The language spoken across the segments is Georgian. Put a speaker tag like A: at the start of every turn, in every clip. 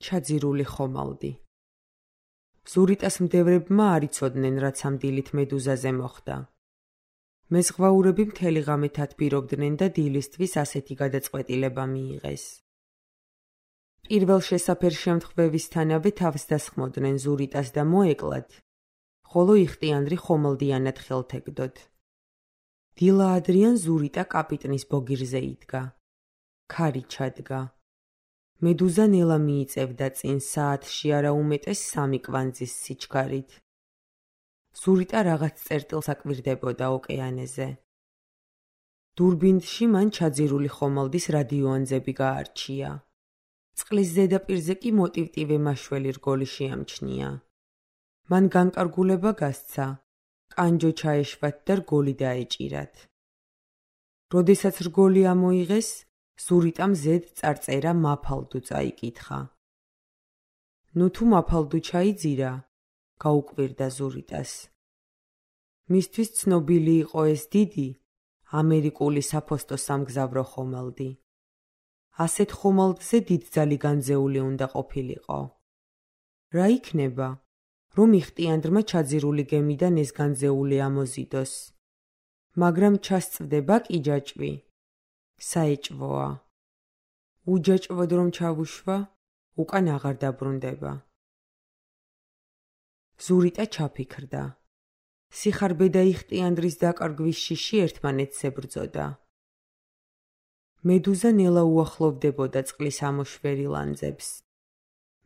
A: ჩაძირული ხომალდი. ზურიტას მდევრებმა არ იცოდნენ, რაც ამ დილით მედუზაზე მოხდა. მეზღვაურები მთელი ღამე თათბირობდნენ და დილისთვის ასეთი გადაწყვეტილება მიიღეს. პირველ შესაფერ შემთხვევისთანავე თავს დასხმოდნენ ზურიტას და მოეკლათ, ხოლო იხტიანდრი ხომალდიანად ხელთეგდოდ. დილა ადრიან ზურიტა კაპიტნის ბოგირზე იდგა. ქარი ჩადგა. მედუზა ნელა მიიწევდა წინ საათში არა უმეტეს 3 კვანძის სიჩქარით. ზურიტა რაღაც წერტილს აკვირდებოდა ოკეანეზე. დურბინში მან ჩაძირული ხომალდის რადიოანძები გაარჩია. წყლის ზედაპირზე კი მოტივტივე მაშველი რგოლი შეამჩნია. მან განკარგულება გასცა, კანჯო ჩაეშვათ და რგოლი დაეჭირათ. როდესაც რგოლი ამოიღეს, ზურიტამ ზედ წარწერა მაფალდუ წაიკითხა. ნუ თუ მაფალდუ ჩაიძირა, გაუკვირდა ზურიტას. მისთვის ცნობილი იყო ეს დიდი, ამერიკული საფოსტო სამგზავრო ხომალდი. ასეთ ხომალდზე დიდძალი განძეული უნდა ყოფილიყო. რა იქნება, რომ იხტიანდრმა ჩაძირული გემიდან ეს განძეული ამოზიდოს. მაგრამ ჩასწვდება კი ჯაჭვი. საეჭვოა. უჯაჭვოდ რომ ჩავუშვა, უკან აღარ დაბრუნდება. ზურიტა ჩაფიქრდა. სიხარბე და იხტიანდრის დაკარგვის შიში ერთმანეთს ებრძოდა. მედუზა ნელა უახლოვდებოდა წყლის ამოშვერი ლანძებს.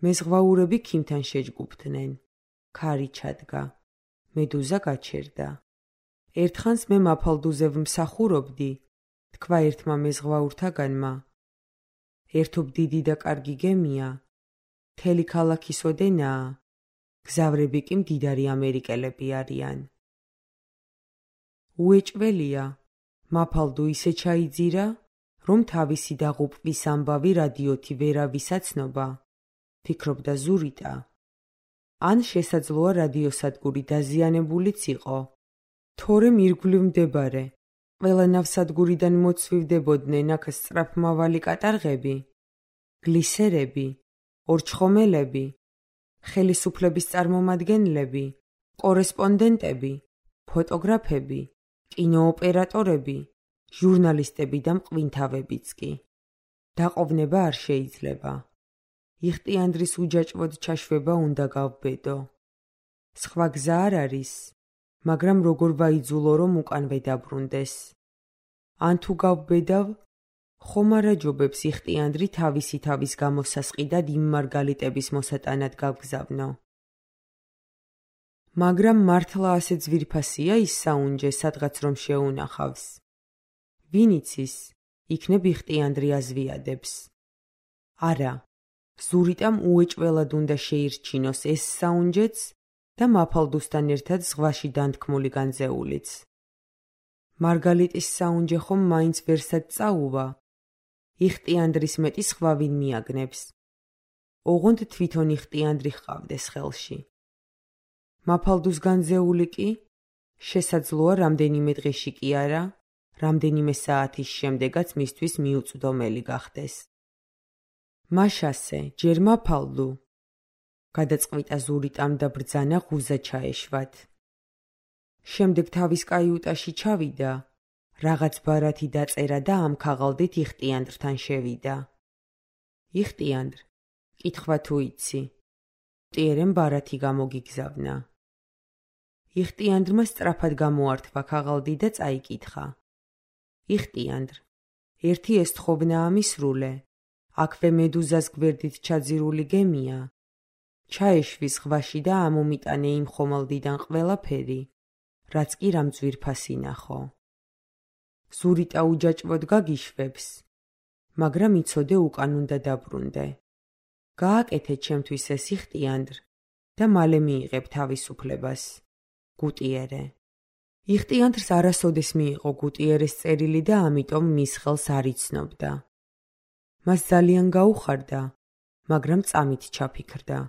A: მეზღვაურები ქიმთან შეჯგუფდნენ. ქარი ჩადგა. მედუზა გაჩერდა. ერთხანს მე მაფალდუზე ვმსახურობდი, თქვა ერთმა მეზღვაურთაგანმა. ერთობ დიდი და კარგი გემია, მთელი ქალაქის ოდენაა, გზავრები კი მდიდარი ამერიკელები არიან. უეჭველია, მაფალდუ ისე ჩაიძირა, რომ თავისი დაღუპვის ამბავი რადიოთი ვერავისაცნობა, ფიქრობდა ზურიტა. ან შესაძლოა რადიოსადგური დაზიანებულიც იყო. თორემ ირგვლივ მდებარე, ყველა ნავსადგურიდან მოცვივდებოდნენ აქ სწრაფმავალი კატარღები, გლისერები, ორჩხომელები, ხელისუფლების წარმომადგენლები, კორესპონდენტები, ფოტოგრაფები, კინოოპერატორები, ჟურნალისტები და მყვინთავებიც კი. დაყოვნება არ შეიძლება. იხტიანდრის უჯაჭვოდ ჩაშვება უნდა გავბედო. სხვა გზა არ არის, მაგრამ როგორ ვაიძულო, რომ უკანვე დაბრუნდეს. ან თუ გავბედავ, ხომ არა ჯობებს იხტიანდრი თავისი თავის გამოსასყიდად იმ მარგალიტების მოსატანად გავგზავნო. მაგრამ მართლა ასე ძვირფასია ის საუნჯე, სადღაც რომ შეუნახავს. ვინ იცის, იქნებ იხტიანდრი აზვიადებს. არა, ზურიტამ უეჭველად უნდა შეირჩინოს ეს საუნჯეც და მაფალდუსთან ერთად ზღვაში დანთქმული განძეულიც. მარგალიტის საუნჯე ხომ მაინც ვერსად წაუვა, იხტიანდრის მეტი სხვა ვინ მიაგნებს. ოღონდ თვითონ იხტიანდრი ჰყავდეს ხელში. მაფალდუს განძეული კი, შესაძლოა რამდენიმე დღეში კი არა, რამდენიმე საათის შემდეგაც მისთვის მიუწვდომელი გახდეს. მაშასე, ჯერ მაფალდუ, გადაწყვიტა ზურიტამ და ბრძანა ღუზა ჩაეშვათ. შემდეგ თავის კაიუტაში ჩავიდა, რაღაც ბარათი დაწერა და ამ ქაღალდით იხტიანდრთან შევიდა. იხტიანდრ, კითხვა თუ იცი, მტიერემ ბარათი გამოგიგზავნა. იხტიანდრმა სწრაფად გამოართვა ქაღალდი და წაიკითხა. იხტიანდრ, ერთი ესთხოვნა ამისრულე, აქვე მედუზას გვერდით ჩაძირული გემია. ჩაეშვი ზღვაში და ამომიტანე იმ ხომალდიდან ყველაფერი, რაც კი რამ ძვირფასი ნახო. ზურიტა უჯაჭვოდ გაგიშვებს, მაგრამ იცოდე უკან უნდა დაბრუნდე. გააკეთე ჩემთვის ეს იხტიანდრ და მალე მიიღებ თავისუფლებას. გუტიერე. იხტიანდრს არასოდეს მიიღო გუტიერეს წერილი და ამიტომ მის ხელს არ იცნობდა. მას ძალიან გაუხარდა, მაგრამ წამით ჩაფიქრდა.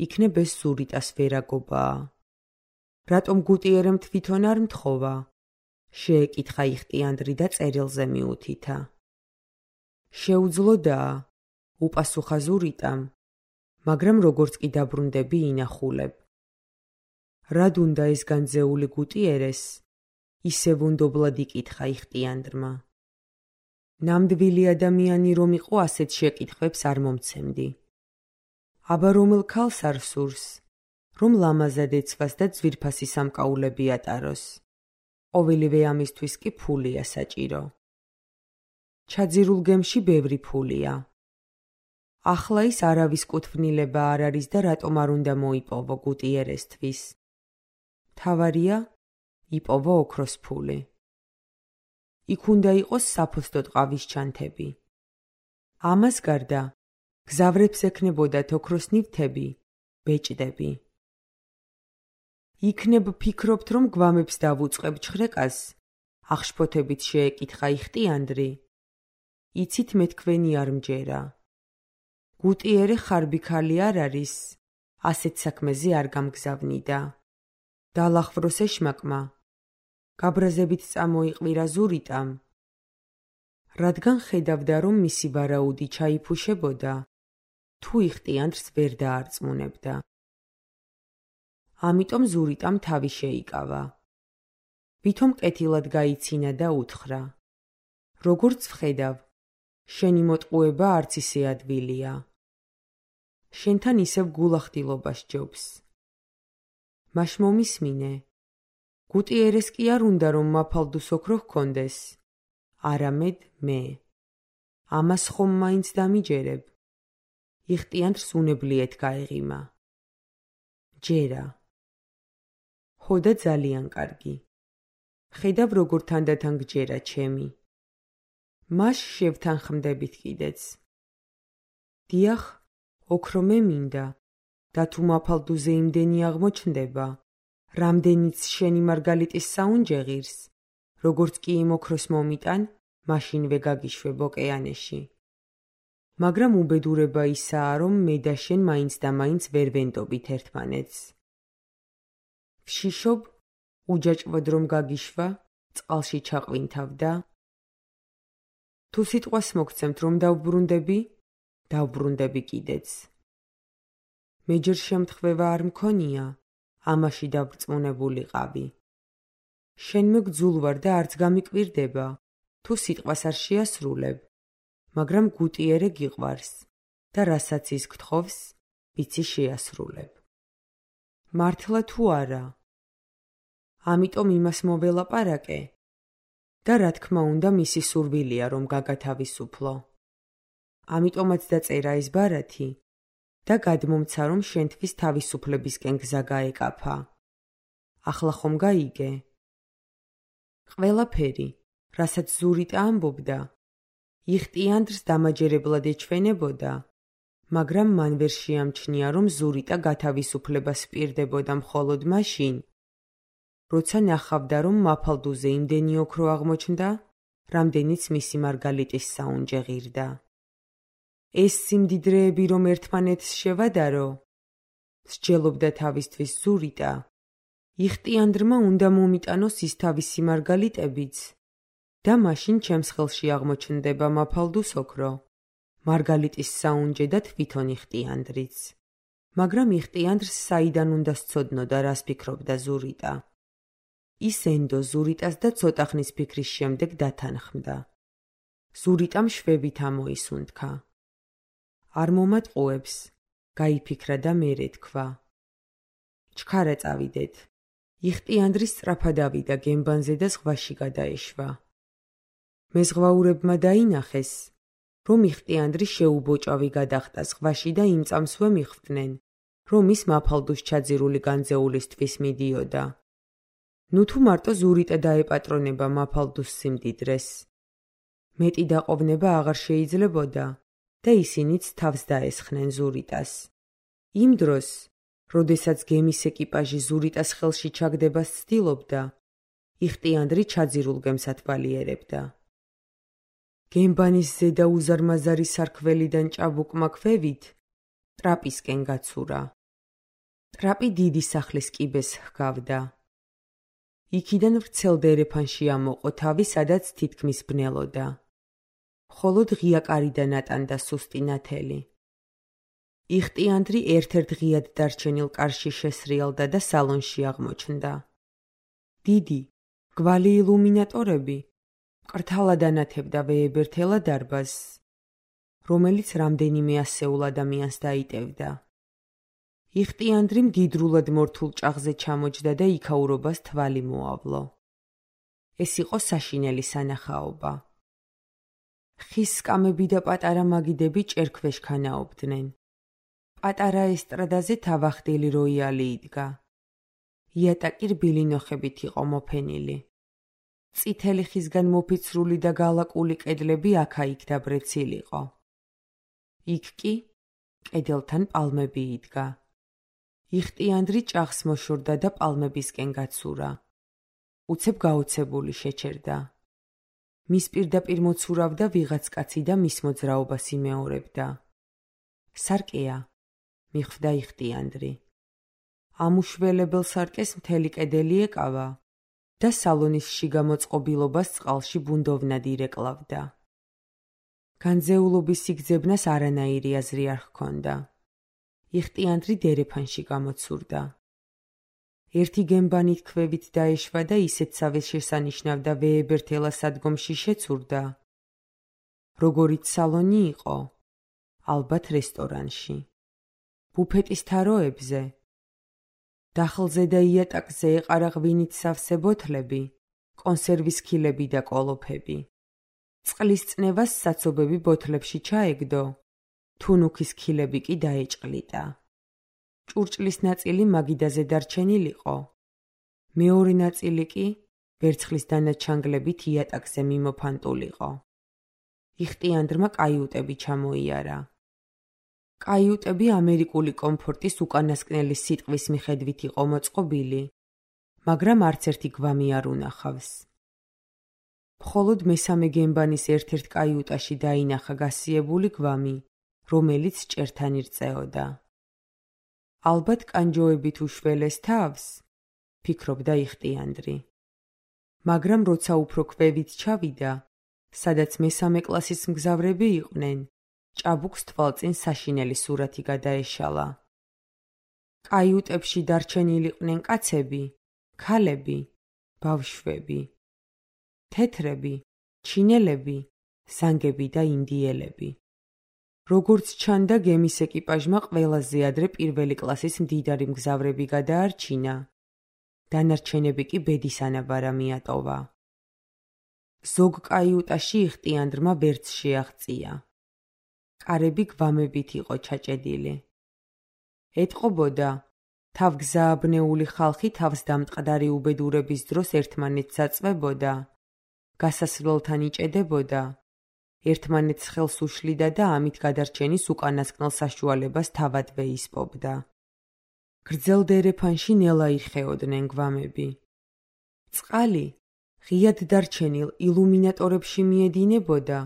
A: იქნებ ეს ზურიტას ვერაგობაა. რატომ გუტიერემ თვითონ არ მთხოვა? შეეკითხა იხტიანდრი და წერილზე მიუთითა. შეუძლოდაა, უპასუხა ზურიტამ, მაგრამ როგორც კი დაბრუნდები ინახულებ. რად უნდა ეს განძეული გუტიერეს? ისევ უნდობლად იკითხა იხტიანდრმა. ნამდვილი ადამიანი რომ იყო, ასეთ შეკითხვებს არ მომცემდი. აბა რომელ ქალს არ სურს, რომ ლამაზად ეცვას და ძვირფასი სამკაულები ატაროს. ყოველივე ამისთვის კი ფულია საჭირო. ჩაძირულ გემში ბევრი ფულია. ახლა ის არავის კუთვნილება არ არის და რატომ არ უნდა მოიპოვო გუტიერესთვის. თავარია, იპოვო ოქროს ფული. იქ უნდა იყოს საფოსტო ტყავის ჩანთები. ამას გარდა გზავრებს ექნებოდათ ოქროს ნივთები, ბეჭდები. იქნებ ფიქრობთ, რომ გვამებს დავუწყებ ჩხრეკას? ახშფოთებით შეეკითხა იხტიანდრი. იცით მე თქვენი არ მჯერა. გუტიერე ხარბი ქალი არ არის, ასეთ საქმეზე არ გამგზავნიდა. დალახვროს ეშმაკმა, გაბრაზებით წამოიყვირა ზურიტამ. რადგან ხედავდა, რომ მისი ვარაუდი ჩაიფუშებოდა, თუ იხტიანდრს ვერ დაარწმუნებდა. ამიტომ ზურიტამ თავი შეიკავა. ვითომ კეთილად გაიცინა და უთხრა. როგორც ვხედავ, შენი მოტყუება არც ისე ადვილია. შენთან ისევ გულახდილობა სჯობს. მაშ მომისმინე. გუტიერეს კი არ უნდა რომ მაფალდუს ოქრო ჰქონდეს. არამედ მე. ამას ხომ მაინც დამიჯერებ. იხტიანდრს უნებლიეთ გაეღიმა. ჯერა. ხო და ძალიან კარგი. ხედავ როგორ თანდათან გჯერა ჩემი. მაშ შევთანხმდებით კიდეც. დიახ, ოქრო მე მინდა და თუ მაფალდუზე იმდენი აღმოჩნდება, რამდენიც შენი მარგალიტის საუნჯე ღირს, როგორც კი იმ ოქროს მომიტან, მაშინვე გაგიშვებ ოკეანეში. მაგრამ უბედურება ისაა, რომ მე და შენ მაინც და მაინც ვერ ვენდობით ერთმანეთს. ვშიშობ, უჯაჭვოდ რომ გაგიშვა, წყალში ჩაყვინთავდა. თუ სიტყვას მოგცემთ რომ დავბრუნდები, დავბრუნდები კიდეც. მე ჯერ შემთხვევა არ მქონია, ამაში დავრწმუნებულიყავი. შენ მეგძულ ვარ და არც გამიკვირდება, თუ სიტყვას არ შეასრულებ, მაგრამ გუტიერე გიყვარს და რასაც ის გთხოვს, ვიცი შეასრულებ. მართლა თუ არა? ამიტომ იმას მოველაპარაკე და რა თქმა უნდა მისი სურვილია რომ გაგათავისუფლო. ამიტომაც დაწერა ეს ბარათი და გადმომცა რომ შენთვის თავისუფლებისკენ გზა გაეკაფა. ახლა ხომ გაიგე? ყველაფერი, რასაც ზურიტა ამბობდა, იხტიანდრს დამაჯერებლად ეჩვენებოდა, მაგრამ მან ვერ შეამჩნია რომ ზურიტა გათავისუფლებას პირდებოდა მხოლოდ მაშინ, როცა ნახავდა რომ მაფალდუზე იმდენი ოქრო აღმოჩნდა, რამდენიც მისი მარგალიტის საუნჯე ღირდა. ეს სიმდიდრეები რომ ერთმანეთს შევადარო, სჯელობდა თავისთვის ზურიტა, იხტიანდრმა უნდა მომიტანოს ის თავისი მარგალიტებიც და მაშინ ჩემს ხელში აღმოჩნდება მაფალდუს ოქრო, მარგალიტის საუნჯე და თვითონ იხტიანდრიც. მაგრამ იხტიანდრს საიდან უნდა სცოდნოდა, რას ფიქრობდა ზურიტა. ის ენდო ზურიტას და ცოტა ხნის ფიქრის შემდეგ დათანხმდა. ზურიტამ შვებით ამოისუნთქა. არ მომატყუებს, გაიფიქრა და მერე თქვა. ჩქარა წავიდეთ. იხტიანდრი სწრაფად ავიდა გემბანზე და ზღვაში გადაეშვა. მეზღვაურებმა დაინახეს, რომ იხტიანდრი შეუბოჭავი გადახტა ზღვაში და იმ წამსვე მიხვდნენ, რომ ის მაფალდუს ჩაძირული განძეულისთვის მიდიოდა. ნუ თუ მარტო ზურიტა დაეპატრონება მაფალდუს სიმდიდრეს. მეტი დაყოვნება აღარ შეიძლებოდა და ისინიც თავს დაესხნენ ზურიტას. იმ დროს, როდესაც გემის ეკიპაჟი ზურიტას ხელში ჩაგდებას ცდილობდა, იხტიანდრი ჩაძირულ გემს ათვალიერებდა. გემბანის ზედა უზარმაზარი სარქველიდან ჭაბუკმა ქვევით, ტრაპისკენ გაცურა. ტრაპი დიდი სახლის კიბეს ჰგავდა. იქიდან ვრცელ დერეფანში ამოყო თავი, სადაც თითქმის ბნელოდა. მხოლოდ ღია კარიდან ატანდა სუსტი ნათელი. იხტიანდრი ერთ-ერთ ღიად დარჩენილ კარში შესრიალდა და სალონში აღმოჩნდა. დიდი, გვალი ილუმინატორები მკრთალად ანათებდა ვეებერთელა დარბაზს, რომელიც რამდენიმე ასეულ ადამიანს დაიტევდა. იხტიანდრი მდიდრულად მორთულ ჭაღზე ჩამოჯდა და იქაურობას თვალი მოავლო. ეს იყო საშინელი სანახაობა. ხის სკამები და პატარა მაგიდები ჭერქვეშ ქანაობდნენ. პატარა ესტრადაზე თავახდილი როიალი იდგა. იატაკი რბილი ნოხებით იყო მოფენილი. წითელი ხისგან მოფიცრული და გალაკული კედლები აქა-იქ დაბრეცილიყო. იქ კი კედელთან პალმები იდგა. იხტიანდრი ჭაღს მოშორდა და პალმებისკენ გაცურა. უცებ გაოცებული შეჩერდა. მის პირდაპირ მოცურავდა ვიღაც კაცი და მის მოძრაობას იმეორებდა. სარკეა, მიხვდა იხტიანდრი. ამუშველებელ სარკეს მთელი კედელი ეკავა და სალონის შიგა მოწყობილობას წყალში ბუნდოვნად ირეკლავდა. განძეულობის სიგძებნას არანაირი აზრი არ ჰქონდა. იხტიანდრი დერეფანში გამოცურდა. ერთი გემბანით ქვევით დაეშვა და ისეთსავე შესანიშნავდა ვეებერთელა სადგომში შეცურდა. როგორიც სალონი იყო, ალბათ რესტორანში. ბუფეტის თაროებზე, დახლზე და იატაკზე ეყარა ღვინით სავსე ბოთლები, კონსერვის ქილები და კოლოფები. წყლის წნევას საცობები ბოთლებში ჩაეგდო, თუნუქის ქილები კი დაეჭყლიტა. ჭურჭლის ნაწილი მაგიდაზე დარჩენილიყო. მეორე ნაწილი კი ვერცხლის დანაჩანგლებით იატაკზე მიმოფანტულიყო. იხტიანდრმა კაიუტები ჩამოიარა. კაიუტები ამერიკული კომფორტის უკანასკნელი სიტყვის მიხედვით იყო მოწყობილი, მაგრამ არც ერთი გვამი არ უნახავს. მხოლოდ მესამე გემბანის ერთ-ერთ კაიუტაში დაინახა გასიებული გვამი, რომელიც ჭერთან ირწეოდა. ალბათ კანჯოებით უშველეს თავს, ფიქრობდა იხტიანდრი. მაგრამ როცა უფრო ქვევით ჩავიდა, სადაც მესამე კლასის მგზავრები იყვნენ, ჭაბუკს თვალწინ საშინელი სურათი გადაეშალა. კაიუტებში დარჩენილიყვნენ კაცები, ქალები, ბავშვები, თეთრები, ჩინელები, ზანგები და ინდიელები. როგორც ჩანდა, გემის ეკიპაჟმა ყველაზე ადრე პირველი კლასის მდიდარი მგზავრები გადაარჩინა. დანარჩენები კი ბედის ანაბარა მიატოვა. ზოგ კაიუტაში იხტიანდრმა ვერც შეაღწია. კარები გვამებით იყო ჩაჭედილი. ეტყობოდა, თავგზააბნეული ხალხი თავს დამტყდარი უბედურების დროს ერთმანეთს აწვებოდა, გასასვლელთან იჭედებოდა, ერთმანეთს ხელს უშლიდა და ამით გადარჩენის უკანასკნელ საშუალებას თავადვე ისპობდა. გრძელ დერეფანში ნელა იხეოდნენ გვამები. წყალი ღიად დარჩენილ ილუმინატორებში მიედინებოდა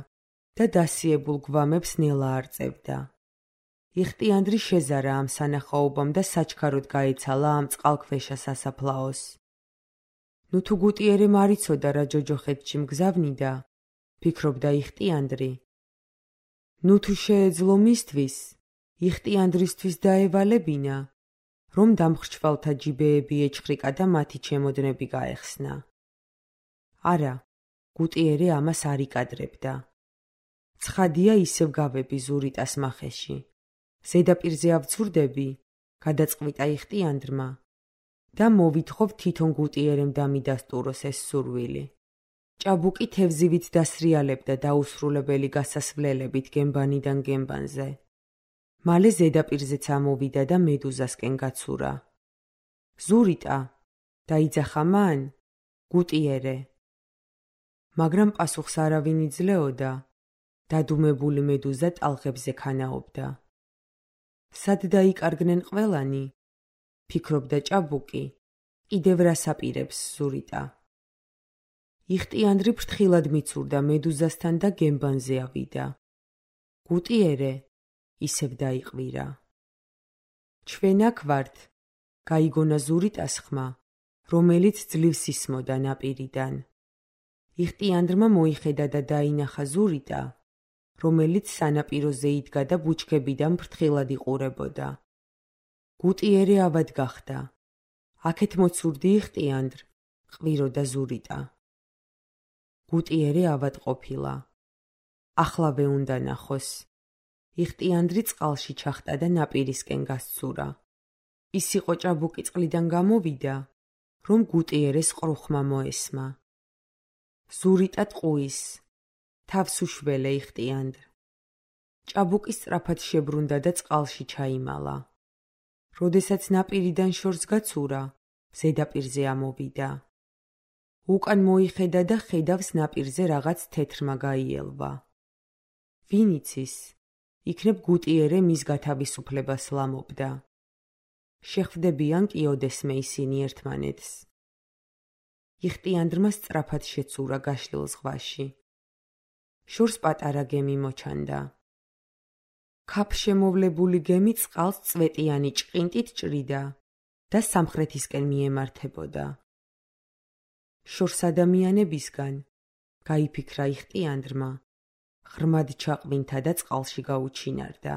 A: და დასიებულ გვამებს ნელა არწევდა. იხტიანდრი შეზარა ამ სანახაობამ და საჩქაროდ გაეცალა ამ წყალქვეშა სასაფლაოს. ნუ თუ გუტიერემ არ იცოდა რა ჯოჯოხეთში მგზავნიდა, ფიქრობდა იხტიანდრი. ნუ თუ შეეძლო მისთვის, იხტიანდრისთვის დაევალებინა, რომ დამხრჩვალთა ჯიბეები ეჩხრიკა და მათი ჩემოდნები გაეხსნა. არა, გუტიერე ამას არ იკადრებდა. ცხადია ისევ გავები ზურიტას მახეში. ზედაპირზე ავცურდები, გადაწყვიტა იხტიანდრმა და მოვითხოვ თვითონ გუტიერემ დამიდასტუროს ეს სურვილი. ჭაბუკი თევზივით დასრიალებდა დაუსრულებელი გასასვლელებით გემბანიდან გემბანზე. მალე ზედაპირზეც ამოვიდა და მედუზასკენ გაცურა. ზურიტა, დაიძახა მან, გუტიერე. მაგრამ პასუხს არავინ იძლეოდა, დადუმებული მედუზა ტალღებზე ქანაობდა. სად დაიკარგნენ ყველანი, ფიქრობდა ჭაბუკი, კიდევ რას აპირებს ზურიტა. იხტიანდრი ფრთხილად მიცურდა მედუზასთან და გემბანზე ავიდა. გუტიერე, ისევ დაიყვირა. ჩვენ აქ ვართ, გაიგონა ზურიტას ხმა, რომელიც ძლივს ისმოდა ნაპირიდან. იხტიანდრმა მოიხედა და დაინახა ზურიტა, რომელიც სანაპიროზე იდგა და ბუჩქებიდან ფრთხილად იყურებოდა. გუტიერე ავად გახდა. აქეთ მოცურდი იხტიანდრ, ყვირო და ზურიტა. გუტიერე ავად ყოფილა. ახლავე უნდა ნახოს. იხტიანდრი წყალში ჩახტა და ნაპირისკენ გასცურა. ის იყო ჭაბუკი წყლიდან გამოვიდა, რომ გუტიერეს ყრუხმა მოესმა. ზურიტა ტყუის, თავს უშველე იხტიანდრ. ჭაბუკი სწრაფად შებრუნდა და წყალში ჩაიმალა. როდესაც ნაპირიდან შორს გაცურა, ზედაპირზე ამოვიდა. უკან მოიხედა და ხედავს ნაპირზე რაღაც თეთრმა გაიელვა. ვინ იცის, იქნებ გუტიერე მის გათავისუფლებას ლამობდა. შეხვდებიან კიოდესმე ისინი ერთმანეთს. იხტიანდრმა სწრაფად შეცურა გაშლილ ზღვაში. შორს პატარა გემი მოჩანდა. ქაფშემოვლებული გემი წყალს წვეტიანი ჭყინტით ჭრიდა და სამხრეთისკენ მიემართებოდა. შორს ადამიანებისგან გაიფიქრა იხტიანდრმა, ღრმად ჩაყვინთა და წყალში გაუჩინარდა.